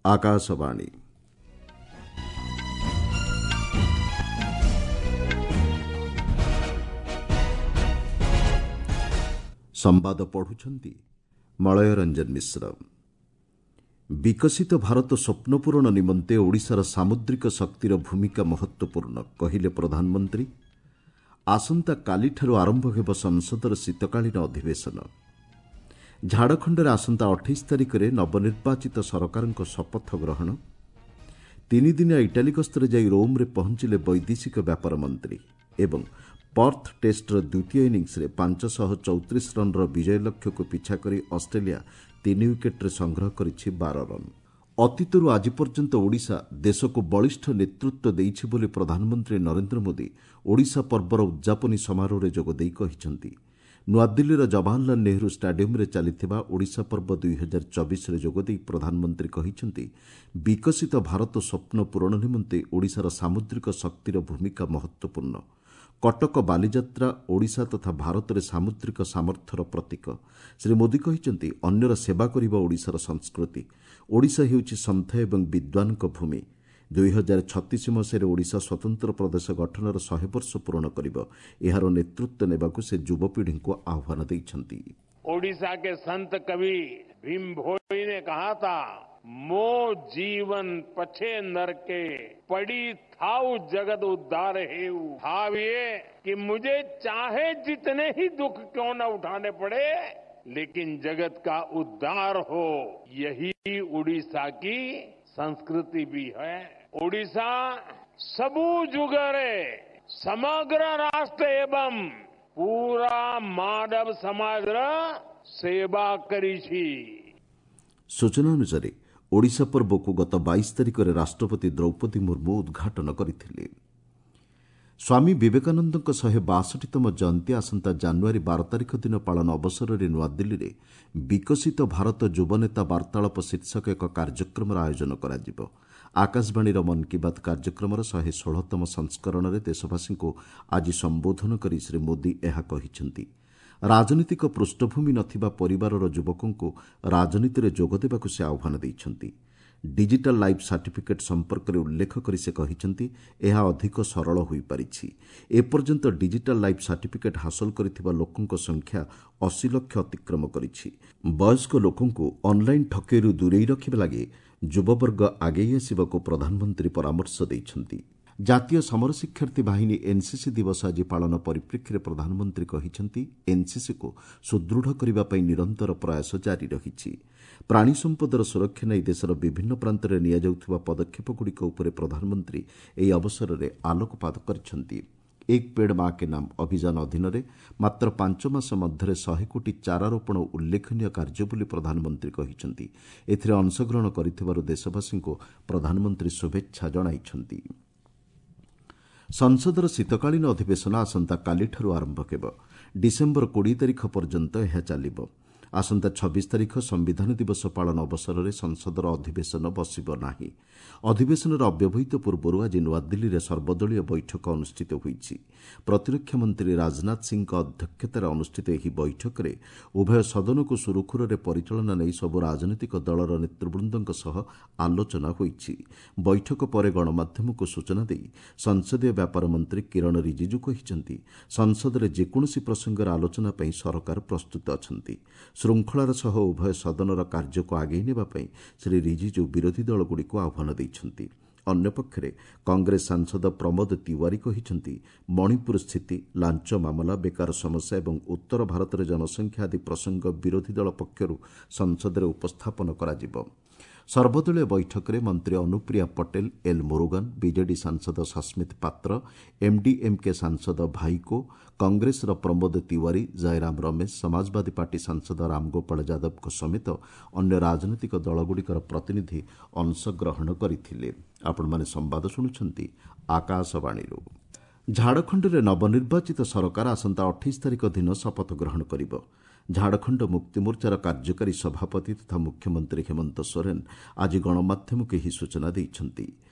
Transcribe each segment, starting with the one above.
ଆକାଶବାଣୀ। ସମ୍ବାଦ ପଢୁଛନ୍ତି ମଳୟ ରଞ୍ଜନ ମିଶ୍ର। ବିକଶିତ ଭାରତ ସ୍ୱପ୍ନ ପୂରଣ ନିମନ୍ତେ ଓଡ଼ିଶାର ସାମୁଦ୍ରିକ ଶକ୍ତିର ଭୂମିକା ମହତ୍ତ୍ୱପୂର୍ଣ୍ଣ, କହିଲେ ପ୍ରଧାନମନ୍ତ୍ରୀ। ଆସନ୍ତାକାଲିଠାରୁ ଆରମ୍ଭ ହେବ ସଂସଦର ଶୀତକାଳୀନ ଅଧିବେଶନ। ଝାଡ଼ଖଣ୍ଡରେ ଆସନ୍ତା 28 ତାରିଖରେ ନବନିର୍ବାଚିତ ସରକାରଙ୍କ ଶପଥ ଗ୍ରହଣ। ତିନିଦିନିଆ ଇଟାଲୀ ଗସ୍ତରେ ଯାଇ ରୋମ୍ରେ ପହଞ୍ଚିଲେ ବୈଦେଶିକ ବ୍ୟାପାର ମନ୍ତ୍ରୀ। ଏବଂ ପର୍ଥ ଟେଷ୍ଟର ଦ୍ୱିତୀୟ ଇନିଂସରେ 534 ରନ୍ର ବିଜୟ ଲକ୍ଷ୍ୟକୁ ପିଛା କରି ଅଷ୍ଟ୍ରେଲିଆ 3 ୱିକେଟ୍ରେ ସଂଗ୍ରହ କରିଛି 12 ରନ୍। ଅତୀତରୁ ଆଜି ପର୍ଯ୍ୟନ୍ତ ଓଡ଼ିଶା ଦେଶକୁ ବଳିଷ୍ଠ ନେତୃତ୍ୱ ଦେଇଛି ବୋଲି ପ୍ରଧାନମନ୍ତ୍ରୀ ନରେନ୍ଦ୍ର ମୋଦି ଓଡ଼ିଶା ପର୍ବର ଉଦ୍ଯାପନୀ ସମାରୋହରେ ଯୋଗଦେଇ କହିଛନ୍ତି। ନୂଆଦିଲ୍ଲୀର ଜବାହରଲାଲ ନେହେରୁ ଷ୍ଟାଡିୟମ୍ରେ ଚାଲିଥିବା ଓଡ଼ିଶା ପର୍ବ 2024ରେ ଯୋଗଦେଇ ପ୍ରଧାନମନ୍ତ୍ରୀ କହିଛନ୍ତି, ବିକଶିତ ଭାରତ ସ୍ୱପ୍ନ ପୂରଣ ନିମନ୍ତେ ଓଡ଼ିଶାର ସାମୁଦ୍ରିକ ଶକ୍ତିର ଭୂମିକା ମହତ୍ତ୍ୱପୂର୍ଣ୍ଣ। କଟକ ବାଲିଯାତ୍ରା ଓଡ଼ିଶା ତଥା ଭାରତରେ ସାମୁଦ୍ରିକ ସାମର୍ଥ୍ୟର ପ୍ରତୀକ। ଶ୍ରୀ ମୋଦି କହିଛନ୍ତି, ଅନ୍ୟର ସେବା କରିବା ଓଡ଼ିଶାର ସଂସ୍କୃତି। ଓଡ଼ିଶା ହେଉଛି ସନ୍ଥ ଏବଂ ବିଦ୍ୱାନଙ୍କ ଭୂମି। 2036 ମସିହାରେ ଓଡ଼ିଶା ସ୍ୱତନ୍ତ୍ର ପ୍ରଦେଶ ଗଠନର 100 ବର୍ଷ ପୂରଣ କରିବ। ଏହାର ନେତୃତ୍ୱ ନେବାକୁ ସେ ଯୁବପିଢ଼ିଙ୍କୁ ଆହ୍ୱାନ ଦେଇଛନ୍ତି। ओडिशा के संत कवि भीम भोई ने कहा था, मो जीवन पछे नरके पड़ी थाउ जगत उद्धार हेऊ। भाव ये कि मुझे चाहे जितने ही दुख क्यों न उठाने पड़े, लेकिन जगत का उद्धार हो, यही उड़ीसा की संस्कृति भी है। उड़ीसा सबू जुगरे समग्र राष्ट्र एवं पूरा मानव समाज सेवा करी छी। ସୂଚନା ଅନୁସାରେ ଓଡ଼ିଶା ପର୍ବକୁ ଗତ 22 ତାରିଖରେ ରାଷ୍ଟ୍ରପତି ଦ୍ରୌପଦୀ ମୁର୍ମୁ ଉଦ୍ଘାଟନ କରିଥିଲେ। ସ୍ୱାମୀ ବିବେକାନନ୍ଦଙ୍କ 162ତମ ଜୟନ୍ତୀ ଆସନ୍ତା ଜାନୁଆରୀ 12 ତାରିଖ ଦିନ ପାଳନ ଅବସରରେ ନୂଆଦିଲ୍ଲୀରେ ବିକଶିତ ଭାରତ ଯୁବନେତା ବାର୍ତ୍ତାଳାପ ଶୀର୍ଷକ ଏକ କାର୍ଯ୍ୟକ୍ରମର ଆୟୋଜନ କରାଯିବ। ଆକାଶବାଣୀର ମନ୍ କି ବାତ୍ କାର୍ଯ୍ୟକ୍ରମର 116ତମ ସଂସ୍କରଣରେ ଦେଶବାସୀଙ୍କୁ ଆଜି ସମ୍ବୋଧନ କରି ଶ୍ରୀ ମୋଦି ଏହା କହିଛନ୍ତି। ରାଜନୈତିକ ପୃଷ୍ଠଭୂମି ନଥିବା ପରିବାରର ଯୁବକଙ୍କୁ ରାଜନୀତିରେ ଯୋଗଦେବାକୁ ସେ ଆହ୍ୱାନ ଦେଇଛନ୍ତି। ଡିଜିଟାଲ୍ ଲାଇଫ୍ ସାର୍ଟିଫିକେଟ୍ ସମ୍ପର୍କରେ ଉଲ୍ଲେଖ କରି ସେ କହିଛନ୍ତି, ଏହା ଅଧିକ ସରଳ ହୋଇପାରିଛି। ଏପର୍ଯ୍ୟନ୍ତ ଡିଜିଟାଲ୍ ଲାଇଫ୍ ସାର୍ଟିଫିକେଟ୍ ହାସଲ କରିଥିବା ଲୋକଙ୍କ ସଂଖ୍ୟା 80 ଲକ୍ଷ ଅତିକ୍ରମ କରିଛି। ବୟସ୍କ ଲୋକଙ୍କୁ ଅନ୍ଲାଇନ୍ ଠକେଇରୁ ଦୂରେଇ ରଖିବା ଲାଗି ଯୁବବର୍ଗ ଆଗେଇ ଆସିବାକୁ ପ୍ରଧାନମନ୍ତ୍ରୀ ପରାମର୍ଶ ଦେଇଛନ୍ତି। ଜାତୀୟ ସମର ଶିକ୍ଷାର୍ଥୀ ବାହିନୀ ଏନ୍ସିସି ଦିବସ ଆଜି ପାଳନ ପରିପ୍ରେକ୍ଷୀରେ ପ୍ରଧାନମନ୍ତ୍ରୀ କହିଛନ୍ତି, ଏନ୍ସିସିକୁ ସୁଦୃଢ଼ କରିବା ପାଇଁ ନିରନ୍ତର ପ୍ରୟାସ ଜାରି ରହିଛି। ପ୍ରାଣୀ ସମ୍ପଦର ସୁରକ୍ଷା ନେଇ ଦେଶର ବିଭିନ୍ନ ପ୍ରାନ୍ତରେ ନିଆଯାଉଥିବା ପଦକ୍ଷେପଗୁଡ଼ିକ ଉପରେ ପ୍ରଧାନମନ୍ତ୍ରୀ ଏହି ଅବସରରେ ଆଲୋକପାତ କରିଛନ୍ତି। ଏକ ପେଡ୍ ମା କେ ନାମ ଅଭିଯାନ ଅଧୀନରେ ମାତ୍ର 5 ମାସ ମଧ୍ୟରେ 100 କୋଟି ଚାରା ରୋପଣ ଉଲ୍ଲେଖନୀୟ କାର୍ଯ୍ୟ ବୋଲି ପ୍ରଧାନମନ୍ତ୍ରୀ କହିଛନ୍ତି। ଏଥିରେ ଅଂଶଗ୍ରହଣ କରିଥିବାରୁ ଦେଶବାସୀଙ୍କୁ ପ୍ରଧାନମନ୍ତ୍ରୀ ଶୁଭେଚ୍ଛା ଜଣାଇଛନ୍ତି। ସଂସଦର ଶୀତକାଳୀନ ଅଧିବେଶନ ଆସନ୍ତାକାଲିଠାରୁ ଆରମ୍ଭ ହେବ। ଡିସେମ୍ବର 20 ତାରିଖ ପର୍ଯ୍ୟନ୍ତ ଏହା ଚାଲିବ। ଆସନ୍ତା 26 ତାରିଖ ସମ୍ବିଧାନ ଦିବସ ପାଳନ ଅବସରରେ ସଂସଦର ଅଧିବେଶନ ବସିବ ନାହିଁ। ଅଧିବେଶନର ଅବ୍ୟବହିତ ପୂର୍ବରୁ ଆଜି ନୂଆଦିଲ୍ଲୀରେ ସର୍ବଦଳୀୟ ବୈଠକ ଅନୁଷ୍ଠିତ ହୋଇଛି। ପ୍ରତିରକ୍ଷା ମନ୍ତ୍ରୀ ରାଜନାଥ ସିଂହଙ୍କ ଅଧ୍ୟକ୍ଷତାରେ ଅନୁଷ୍ଠିତ ଏହି ବୈଠକରେ ଉଭୟ ସଦନକୁ ସୁରୁଖୁରୁରେ ପରିଚାଳନା ନେଇ ସବୁ ରାଜନୈତିକ ଦଳର ନେତୃବୃନ୍ଦଙ୍କ ସହ ଆଲୋଚନା ହୋଇଛି। ବୈଠକ ପରେ ଗଣମାଧ୍ୟମକୁ ସୂଚନା ଦେଇ ସଂସଦୀୟ ବ୍ୟାପାର ମନ୍ତ୍ରୀ କିରଣ ରିଜିଜୁ କହିଛନ୍ତି, ସଂସଦରେ ଯେକୌଣସି ପ୍ରସଙ୍ଗରେ ଆଲୋଚନା ପାଇଁ ସରକାର ପ୍ରସ୍ତୁତ ଅଛନ୍ତି। ଶୃଙ୍ଖଳାର ସହ ଉଭୟ ସଦନର କାର୍ଯ୍ୟକୁ ଆଗେଇ ନେବା ପାଇଁ ଶ୍ରୀ ରିଜିଜୁ ବିରୋଧୀ ଦଳଗୁଡ଼ିକୁ ଆହ୍ୱାନ ଦେଇଛନ୍ତି। ଅନ୍ୟପକ୍ଷରେ କଂଗ୍ରେସ ସାଂସଦ ପ୍ରମୋଦ ତିୱାରୀ କହିଛନ୍ତି, ମଣିପୁର ସ୍ଥିତି, ଲାଞ୍ଚ ମାମଲା, ବେକାର ସମସ୍ୟା ଏବଂ ଉତ୍ତର ଭାରତରେ ଜନସଂଖ୍ୟା ଆଦି ପ୍ରସଙ୍ଗ ବିରୋଧୀ ଦଳ ପକ୍ଷରୁ ସଂସଦରେ ଉପସ୍ଥାପନ କରାଯିବ। ସର୍ବଦଳୀୟ ବୈଠକରେ ମନ୍ତ୍ରୀ ଅନୁପ୍ରିୟା ପଟେଲ, ଏଲ୍ ମୁରୁଗନ୍, ବିଜେଡି ସାଂସଦ ସସ୍ମିତ ପାତ୍ର, ଏମ୍ଡିଏମ୍କେ ସାଂସଦ ଭାଇକୋ, କଂଗ୍ରେସର ପ୍ରମୋଦ ତିୱାରୀ, ଜୟରାମ ରମେଶ, ସମାଜବାଦୀ ପାର୍ଟି ସାଂସଦ ରାମଗୋପାଳ ଯାଦବଙ୍କ ସମେତ ଅନ୍ୟ ରାଜନୈତିକ ଦଳଗୁଡ଼ିକର ପ୍ରତିନିଧି ଅଂଶଗ୍ରହଣ କରିଥିଲେ। ଆପଣମାନେ ସମ୍ବାଦ ଶୁଣୁଛନ୍ତି ଆକାଶବାଣୀରୁ। ଝାଡ଼ଖଣ୍ଡରେ ନବନିର୍ବାଚିତ ସରକାର ଆସନ୍ତା 28 ତାରିଖ ଦିନ ଶପଥ ଗ୍ରହଣ କରିବ। ଝାଡ଼ଖଣ୍ଡ ମୁକ୍ତିମୋର୍ଚ୍ଚାର କାର୍ଯ୍ୟକାରୀ ସଭାପତି ତଥା ମୁଖ୍ୟମନ୍ତ୍ରୀ ହେମନ୍ତ ସୋରେନ୍ ଆଜି ଗଣମାଧ୍ୟମକୁ ଏହି ସୂଚନା ଦେଇଛନ୍ତି।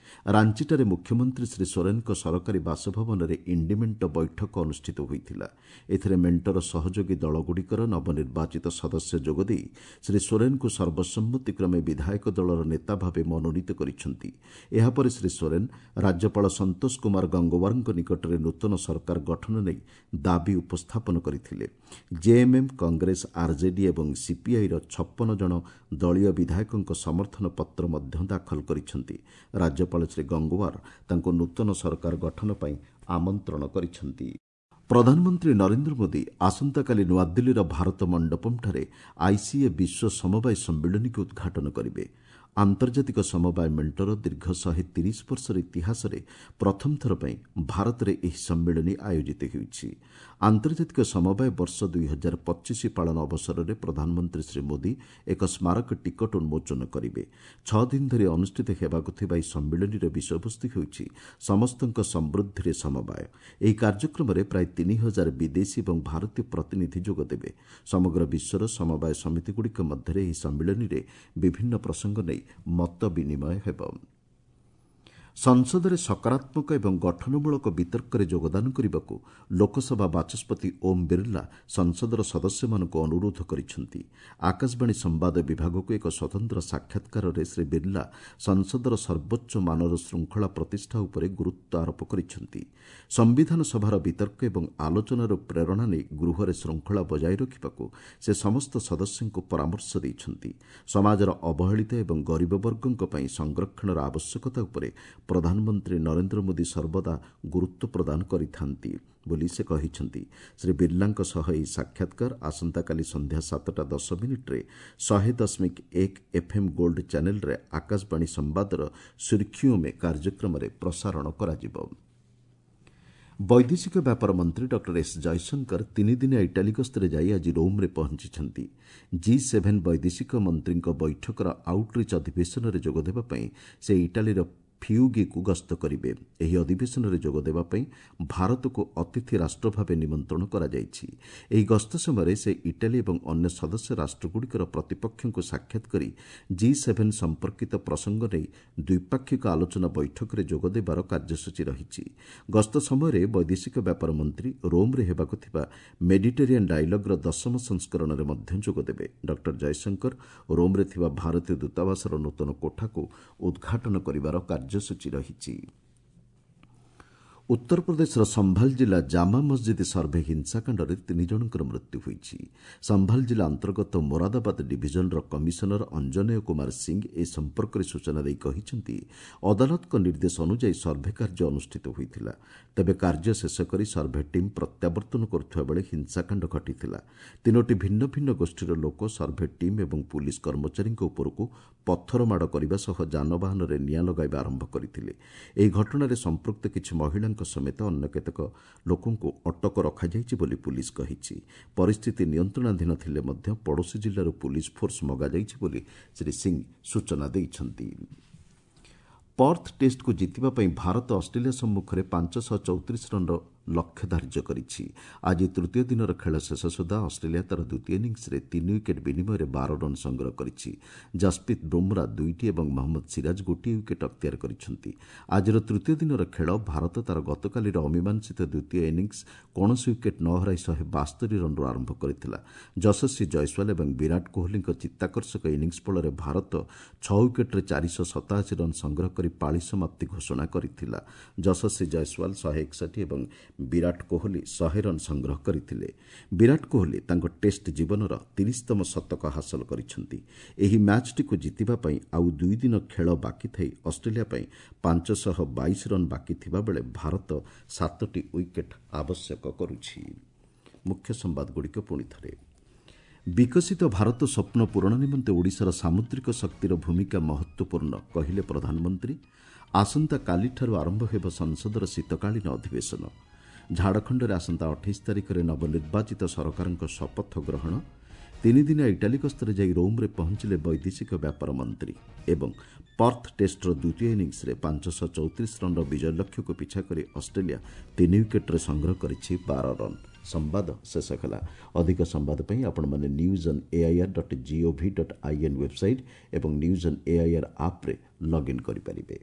ରାଞ୍ଚିଠାରେ ମୁଖ୍ୟମନ୍ତ୍ରୀ ଶ୍ରୀ ସୋରେନଙ୍କ ସରକାରୀ ବାସଭବନରେ ଇଣ୍ଡି ମେଣ୍ଟ ବୈଠକ ଅନୁଷ୍ଠିତ ହୋଇଥିଲା। ଏଥିରେ ମେଣ୍ଟର ସହଯୋଗୀ ଦଳଗୁଡ଼ିକର ନବନିର୍ବାଚିତ ସଦସ୍ୟ ଯୋଗଦେଇ ଶ୍ରୀ ସୋରେନଙ୍କୁ ସର୍ବସମ୍ମତିକ୍ରମେ ବିଧାୟକ ଦଳର ନେତା ଭାବେ ମନୋନୀତ କରିଛନ୍ତି। ଏହାପରେ ଶ୍ରୀ ସୋରେନ ରାଜ୍ୟପାଳ ସନ୍ତୋଷ କୁମାର ଗଙ୍ଗୱାରଙ୍କ ନିକଟରେ ନୂତନ ସରକାର ଗଠନ ନେଇ ଦାବି ଉପସ୍ଥାପନ କରିଥିଲେ। ଜେଏମ୍ଏମ୍, କଂଗ୍ରେସ, ଆର୍ଜେଡି ଏବଂ ସିପିଆଇର 56 ଜଣ ଦଳୀୟ ବିଧାୟକଙ୍କ ସମର୍ଥନ ପତ୍ର ମଧ୍ୟ ଦାଖଲ କରିଛନ୍ତି। ରାଜ୍ୟପାଳ ଶ୍ରୀ ଗଙ୍ଗୱାର ତାଙ୍କୁ ନୂତନ ସରକାର ଗଠନ ପାଇଁ ଆମନ୍ତ୍ରଣ କରିଛନ୍ତି। ପ୍ରଧାନମନ୍ତ୍ରୀ ନରେନ୍ଦ୍ର ମୋଦି ଆସନ୍ତାକାଲି ନୂଆଦିଲ୍ଲୀର ଭାରତ ମଣ୍ଡପମ୍ଠାରେ ଆଇସିଏ ବିଶ୍ୱ ସମବାୟ ସମ୍ମିଳନୀକୁ ଉଦ୍ଘାଟନ କରିବେ। ଆନ୍ତର୍ଜାତିକ ସମବାୟ ମେଣ୍ଟର ଦୀର୍ଘ 130 ବର୍ଷର ଇତିହାସରେ ପ୍ରଥମ ଥର ପାଇଁ ଭାରତରେ ଏହି ସମ୍ମିଳନୀ ଆୟୋଜିତ ହେଉଛି। ଆନ୍ତର୍ଜାତିକ ସମବାୟ ବର୍ଷ 2025 ପାଳନ ଅବସରରେ ପ୍ରଧାନମନ୍ତ୍ରୀ ଶ୍ରୀ ମୋଦି ଏକ ସ୍ମାରକ ଟିକଟ ଉନ୍ମୋଚନ କରିବେ। 6 ଦିନ ଧରି ଅନୁଷ୍ଠିତ ହେବାକୁ ଥିବା ଏହି ସମ୍ମିଳନୀର ବିଷୟବସ୍ତୁ ହେଉଛି ସମସ୍ତଙ୍କ ସମୃଦ୍ଧିରେ ସମବାୟ। ଏହି କାର୍ଯ୍ୟକ୍ରମରେ ପ୍ରାୟ 3000 ବିଦେଶୀ ଏବଂ ଭାରତୀୟ ପ୍ରତିନିଧି ଯୋଗଦେବେ। ସମଗ୍ର ବିଶ୍ୱର ସମବାୟ ସମିତିଗୁଡ଼ିକ ମଧ୍ୟରେ ଏହି ସମ୍ମିଳନୀରେ ବିଭିନ୍ନ ପ୍ରସଙ୍ଗ ନେଇ ମତ ବିନିମୟ ହେବ। ସଂସଦରେ ସକାରାତ୍ମକ ଏବଂ ଗଠନମୂଳକ ବିତର୍କରେ ଯୋଗଦାନ କରିବାକୁ ଲୋକସଭା ବାଚସ୍ପତି ଓମ୍ ବିର୍ଲା ସଂସଦର ସଦସ୍ୟମାନଙ୍କୁ ଅନୁରୋଧ କରିଛନ୍ତି। ଆକାଶବାଣୀ ସମ୍ବାଦ ବିଭାଗକୁ ଏକ ସ୍ୱତନ୍ତ୍ର ସାକ୍ଷାତକାରରେ ଶ୍ରୀ ବିର୍ଲା ସଂସଦର ସର୍ବୋଚ୍ଚ ମାନର ଶୃଙ୍ଖଳା ପ୍ରତିଷ୍ଠା ଉପରେ ଗୁରୁତ୍ୱ ଆରୋପ କରିଛନ୍ତି। ସମ୍ବିଧାନ ସଭାର ବିତର୍କ ଏବଂ ଆଲୋଚନାରୁ ପ୍ରେରଣା ନେଇ ଗୃହରେ ଶୃଙ୍ଖଳା ବଜାୟ ରଖିବାକୁ ସେ ସମସ୍ତ ସଦସ୍ୟଙ୍କୁ ପରାମର୍ଶ ଦେଇଛନ୍ତି। ସମାଜର ଅବହେଳିତ ଏବଂ ଗରିବ ବର୍ଗଙ୍କ ପାଇଁ ସଂରକ୍ଷଣର ଆବଶ୍ୟକତା ଉପରେ ପ୍ରଧାନମନ୍ତ୍ରୀ ନରେନ୍ଦ୍ର ମୋଦି ସର୍ବଦା ଗୁରୁତ୍ୱ ପ୍ରଦାନ କରିଥାନ୍ତି ବୋଲି ସେ କହିଛନ୍ତି। ଶ୍ରୀ ବିର୍ଲାଙ୍କ ସହ ଏହି ସାକ୍ଷାତକାର ଆସନ୍ତାକାଲି ସନ୍ଧ୍ୟା 7:10 100.1 ଏଫ୍ଏମ୍ ଗୋଲ୍ଡ ଚ୍ୟାନେଲ୍ରେ ଆକାଶବାଣୀ ସମ୍ବାଦର ସୁର୍ଖିଓଁ ମେ କାର୍ଯ୍ୟକ୍ରମରେ ପ୍ରସାରଣ କରାଯିବ। ବୈଦେଶିକ ବ୍ୟାପାର ମନ୍ତ୍ରୀ ଡକ୍ଟର ଏସ୍ ଜୟଶଙ୍କର 3 ଦିନିଆ ଇଟାଲୀ ଗସ୍ତରେ ଯାଇ ଆଜି ରୋମ୍ରେ ପହଞ୍ଚିଛନ୍ତି। ଜି7 ବୈଦେଶିକ ମନ୍ତ୍ରୀଙ୍କ ବୈଠକର ଆଉଟ୍ରିଚ୍ ଅଧିବେଶନରେ ଯୋଗଦେବା ପାଇଁ ସେ ଇଟାଲୀର ଫିୟୁଗିକୁ ଗସ୍ତ କରିବେ। ଏହି ଅଧିବେଶନରେ ଯୋଗଦେବା ପାଇଁ ଭାରତକୁ ଅତିଥି ରାଷ୍ଟ୍ର ଭାବେ ନିମନ୍ତ୍ରଣ କରାଯାଇଛି। ଏହି ଗସ୍ତ ସମୟରେ ସେ ଇଟାଲୀ ଏବଂ ଅନ୍ୟ ସଦସ୍ୟ ରାଷ୍ଟ୍ରଗୁଡ଼ିକର ପ୍ରତିପକ୍ଷଙ୍କୁ ସାକ୍ଷାତ କରି ଜି7 ସମ୍ପର୍କିତ ପ୍ରସଙ୍ଗ ନେଇ ଦ୍ୱିପାକ୍ଷିକ ଆଲୋଚନା ବୈଠକରେ ଯୋଗଦେବାର କାର୍ଯ୍ୟସୂଚୀ ରହିଛି। ଗସ୍ତ ସମୟରେ ବୈଦେଶିକ ବ୍ୟାପାର ମନ୍ତ୍ରୀ ରୋମ୍ରେ ହେବାକୁ ଥିବା ମେଡିଟେରିଆନ୍ ଡାଇଲଗ୍ର 10ମ ସଂସ୍କରଣରେ ମଧ୍ୟ ଯୋଗଦେବେ। ଡକ୍ଟର ଜୟଶଙ୍କର ରୋମ୍ରେ ଥିବା ଭାରତୀୟ ଦୂତାବାସର ନୂତନ କୋଠାକୁ ଉଦ୍ଘାଟନ କରିବାର କାର୍ଯ୍ୟସୂଚୀ ରହିଛି। ଉତ୍ତରପ୍ରଦେଶର ସମ୍ଭାଲ ଜିଲ୍ଲା ଜାମା ମସ୍ଜିଦ୍ ସର୍ଭେ ହିଂସାକାଣ୍ଡରେ 3 ଜଣଙ୍କର ମୃତ୍ୟୁ ହୋଇଛି। ସମ୍ଭାଲ ଜିଲ୍ଲା ଅନ୍ତର୍ଗତ ମୋରାଦାବାଦ ଡିଭିଜନର କମିଶନର ଅଞ୍ଜନେୟ କୁମାର ସିଂ ଏ ସମ୍ପର୍କରେ ସୂଚନା ଦେଇ କହିଛନ୍ତି, ଅଦାଲତଙ୍କ ନିର୍ଦ୍ଦେଶ ଅନୁଯାୟୀ ସର୍ଭେ କାର୍ଯ୍ୟ ଅନୁଷ୍ଠିତ ହୋଇଥିଲା। ତେବେ କାର୍ଯ୍ୟ ଶେଷ କରି ସର୍ଭେ ଟିମ୍ ପ୍ରତ୍ୟାବର୍ତ୍ତନ କରୁଥିବା ବେଳେ ହିଂସାକାଣ୍ଡ ଘଟିଥିଲା। ତିନୋଟି ଭିନ୍ନ ଭିନ୍ନ ଗୋଷ୍ଠୀର ଲୋକ ସର୍ଭେ ଟିମ୍ ଏବଂ ପୁଲିସ୍ କର୍ମଚାରୀଙ୍କ ଉପରକୁ ପଥର ମାଡ଼ କରିବା ସହ ଯାନବାହନରେ ନିଆଁ ଲଗାଇବା ଆରମ୍ଭ କରିଥିଲେ। ଏହି ଘଟଣାରେ ସମ୍ପୃକ୍ତ କିଛି ମହିଳାଙ୍କ ସମେତ ଅନ୍ୟ କେତେକ ଲୋକଙ୍କୁ ଅଟକ ରଖାଯାଇଛି ବୋଲି ପୁଲିସ୍ କହିଛି। ପରିସ୍ଥିତି ନିୟନ୍ତ୍ରଣାଧୀନ ଥିଲେ ମଧ୍ୟ ପଡ଼ୋଶୀ ଜିଲ୍ଲାରୁ ପୁଲିସ୍ ଫୋର୍ସ ମଗାଯାଇଛି ବୋଲି ଶ୍ରୀ ସିଂ ସୂଚନା ଦେଇଛନ୍ତି। ପର୍ଥ ଟେଷ୍ଟକୁ ଜିତିବା ପାଇଁ ଭାରତ ଅଷ୍ଟ୍ରେଲିଆ ସମ୍ମୁଖରେ 534 ରନ୍ର ଲକ୍ଷ୍ୟ ଧାର୍ଯ୍ୟ କରିଛି। ଆଜି ତୃତୀୟ ଦିନର ଖେଳ ଶେଷ ସୁଦ୍ଧା ଅଷ୍ଟ୍ରେଲିଆ ତା'ର ଦ୍ୱିତୀୟ ଇନିଂସରେ 3 ୱିକେଟ୍ ବିନିମୟରେ 12 ରନ୍ ସଂଗ୍ରହ କରିଛି। ଜସପ୍ରୀତ ବୁମ୍ରା ଦୁଇଟି ଏବଂ ମହମ୍ମଦ ସିରାଜ ଗୋଟିଏ ୱିକେଟ୍ ଅକ୍ତିଆର କରିଛନ୍ତି। ଆଜିର ତୃତୀୟ ଦିନର ଖେଳ ଭାରତ ତା'ର ଗତକାଲିର ଅମୀମାଂସିତ ଦ୍ୱିତୀୟ ଇନିଂସ କୌଣସି ୱିକେଟ୍ ନ ହରାଇ 172 ରନ୍ରୁ ଆରମ୍ଭ କରିଥିଲା। ଯଶସ୍ୱୀ ଜୟସ୍ୱାଲ ଏବଂ ବିରାଟ କୋହଲିଙ୍କ ଚିତ୍ତାକର୍ଷକ ଇନିଂସ ଫଳରେ ଭାରତ 6 ୱିକେଟ୍ରେ 487 ରନ୍ ସଂଗ୍ରହ କରି ପାଳି ସମାପ୍ତି ଘୋଷଣା କରିଥିଲା। ଯଶସ୍ୱୀ ଜୟସ୍ୱାଲ 161 ଏବଂ ବିରାଟ କୋହଲି 100 ରନ୍ ସଂଗ୍ରହ କରିଥିଲେ। ବିରାଟ କୋହଲି ତାଙ୍କ ଟେଷ୍ଟ ଜୀବନର 30ତମ ଶତକ ହାସଲ କରିଛନ୍ତି। ଏହି ମ୍ୟାଚ୍ଟିକୁ ଜିତିବା ପାଇଁ ଆଉ 2 ଦିନ ଖେଳ ବାକି ଥାଇ ଅଷ୍ଟ୍ରେଲିଆ ପାଇଁ 522 ରନ୍ ବାକି ଥିବାବେଳେ ଭାରତ ସାତଟି ୱିକେଟ୍ ଆବଶ୍ୟକ କରୁଛି। ମୁଖ୍ୟ ସମ୍ବାଦଗୁଡ଼ିକ ପୁଣି ଥରେ। ବିକଶିତ ଭାରତ ସ୍ୱପ୍ନ ପୂରଣ ନିମନ୍ତେ ଓଡ଼ିଶାର ସାମୁଦ୍ରିକ ଶକ୍ତିର ଭୂମିକା ମହତ୍ତ୍ୱପୂର୍ଣ୍ଣ, କହିଲେ ପ୍ରଧାନମନ୍ତ୍ରୀ। ଆସନ୍ତାକାଲିଠାରୁ ଆରମ୍ଭ ହେବ ସଂସଦର ଶୀତକାଳୀନ ଅଧିବେଶନ। ଝାଡ଼ଖଣ୍ଡରେ ଆସନ୍ତା 28 ତାରିଖରେ ନବନିର୍ବାଚିତ ସରକାରଙ୍କ ଶପଥ ଗ୍ରହଣ। 3 ଦିନିଆ ଇଟାଲୀ ଗସ୍ତରେ ଯାଇ ରୋମ୍ରେ ପହଞ୍ଚିଲେ ବୈଦେଶିକ ବ୍ୟାପାର ମନ୍ତ୍ରୀ। ଏବଂ ପର୍ଥ ଟେଷ୍ଟର ଦ୍ୱିତୀୟ ଇନିଂସରେ 534 ରନ୍ର ବିଜୟ ଲକ୍ଷ୍ୟକୁ ପିଛା କରି ଅଷ୍ଟ୍ରେଲିଆ 3 ୱିକେଟ୍ରେ ସଂଗ୍ରହ କରିଛି 12 ରନ୍। ସମ୍ବାଦ ଶେଷ ହେଲା। ଅଧିକ ସମ୍ବାଦ ପାଇଁ ଆପଣମାନେ news on AIR dot gov dot in website ଏବଂ ନ୍ୟୁଜ୍ ଅନ୍ ଏଆଇଆର୍ ଆପ୍ରେ ଲଗ୍ଇନ୍ କରିପାରିବେ।